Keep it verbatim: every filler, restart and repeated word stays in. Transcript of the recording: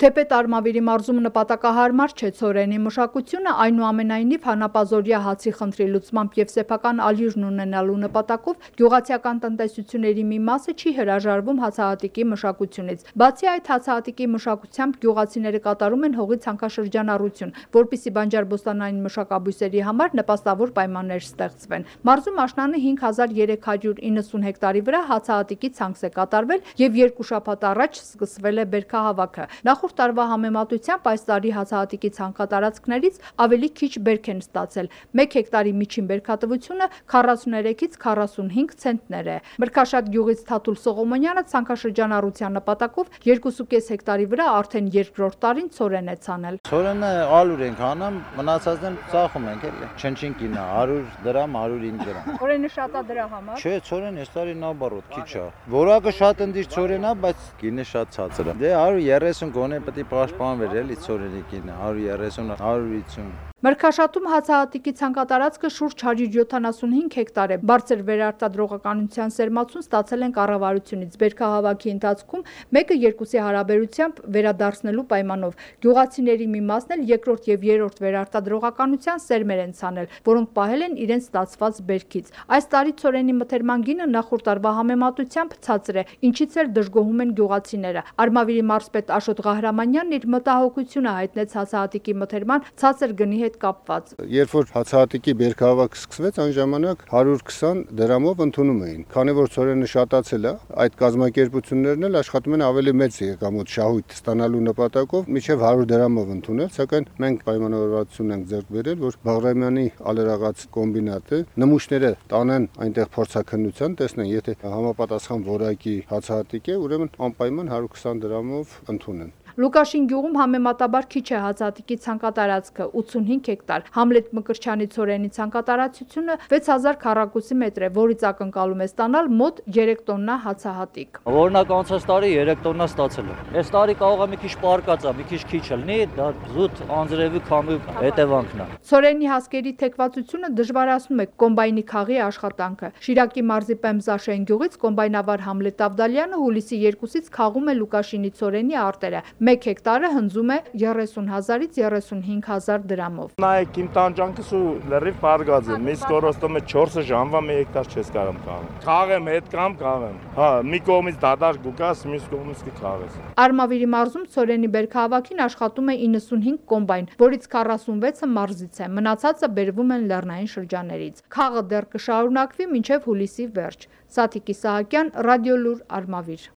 Թեպետ Արմավիրի մարզում նպատակահարմար չէ ցորենի մշակությունը, այնուամենայնիվ հանապազօրյա հացի խնդրի լուծմամբ եւ սեփական ալյուրն ունենալու նպատակով գյուղացիական տնտեսությունների մի մասը չի հրաժարվում հացահատիկի մշակությունից։ Բացի այդ, հացահատիկի մշակությամբ գյուղացիները կատարում են հողի ցանքաշրջանառություն, որպեսզի բանջարբոստանային մշակաբույսերի համար նպաստավոր պայմաններ ստեղծվեն։ Մարզում աշնանը հինգ հազար երեք հարյուր իննսուն հեկտարի վրա հացահատիկի ցանց է կատարվել եւ երկու շաբաթ առաջ սկսվել է բերքահավաքը։ Նախորդ տարվա համեմատությամբ այս տարի հացահատիկի ցանքատարածքներից ավելի քիչ բերք են ստացել։ Մեկ հեկտարի միջին բերքատվությունը քառասուներեքից քառասունհինգ ցենտներ է։ Մրգաշատ գյուղից Թաթուլ Սողոմոնյանը ցանքաշրջանառության նպատակով երկու կես հեկտարի վրա արդեն երկրորդ տարին ցորեն է ցանել։ Ցորենը ալուր ենք անում, մնացածն ծախում ենք էլի։ Չնչին կինա հարյուր դրամ, հարյուր հինգ դրամ։ Ցորենը շատ է դրա համար։ Չէ, ցորեն այս տարի նաբարոտ քիչ է։ Որակը շատ ընդիր ցորեն է, բայց գինը շատ ցածր է։ Դե հարյուր երեսուն գոնե պետք է պաշտպանվեր էլի ցորենի գինը, հարյուր երեսուն, հարյուր վաթսուն։ Մրգաշատում հացահատիկի ցանկատարածքը շուրջ հարյուր յոթանասունհինգ հեկտար է։ Բարձր վերարտադրողականության սերմացուն ստացել են կառավարությունից։ Բերքահավաքի ընթացքում մեկը երկուսի հարաբերությամբ վերադարձնելու պայմանով գյուղացիների մի մասն էլ երկրորդ եւ երրորդ վերարտադրողականության սերմեր են ցանել, որոնք պահել են իրենց ստացված բերքից։ Այս տարի ցորենի մթերման գինը նախորդ տարվա համեմատությամբ ցածր է, ինչից էլ դժգոհում են գյուղացիները։ Արմավիրի մարզպետ Աշոտ Ղահրամանյանն իր մտահոգությունը հայտնեց հացահատիկի մթերման ցածր գնի հետ կապված։ Երբ որ հացահատիկի բերքահավաքը սկսվեց, այն ժամանակ հարյուր քսան դրամով ընդունում էին։ Քանի որ ցորենը շատացել է, այդ կազմակերպություններն էլ աշխատում են ավելի մեծ եկամուտ շահույթ ստանալու նպատակով մինչև հարյուր դրամով ընդունել, սակայն մենք պայմանավորվածություն ենք ձեռք բերել, որ Բաղրամյանի ալերաղաց կոմբինատը նմուշները տանեն այնտեղ փորձաքննության, տեսնեն, եթե համապատասխան որակի հացահատիկ է, ուրեմն անպայման հարյուր քսան դրամով ընդունեն։ Լուկաշին գյուղում համեմատաբար քիչ է հացահատիկի ցանկատարածքը ութսունհինգ հեկտար։ Համլետ Մկրտչյանի ցորենի ցանկատարածությունը վեց հազար քառակուսի մետր է, որից ակնկալում է ստանալ մոտ երեք տոննա հացահատիկ։ Օրինակ անցած տարի երեք տոննա ստացել եմ։ Այս տարի կարող է մի քիչ պարկած է, մի քիչ քիչ լինի, դա զուտ անձրևի քամի հետևանքն է։ Ցորենի հասկերի թեքվածությունը դժվարացնում է կոմբայնի խաղի աշխատանքը։ Շիրակի մարզի Պեմզաշեն գյուղից կոմբայնավար Համլետ Ավդալյանը հուլիսի երկուսից խաղում է Լուկաշինի ցորենի արտերը։ Մեկ հեկտարը հնձում է երեսուն հազարից երեսունհինգ հազար դրամով։ Նայեք իմ տանջանքս ու լրիվ պարգած է։ Միս կորոստում է չորս ժամվա մի հեկտար չես կարող խաղալ։ Խաղեմ, հետ կամ խաղեմ։ Հա, մի կողմից դադար գուկաս, մյուս կողմից կխաղես։ Արմավիրի մարզում ցորենի բերքահավաքին աշխատում է իննսունհինգ կոմբայն, որից քառասունվեցը մարզից է։ Մնացածը բերվում են լեռնային շրջաններից։ Խաղը դեռ կշարունակվի մինչև հուլիսի վերջ։ Սաթիկ Իսահակյան, Ռադիոլուր, Արմավիր։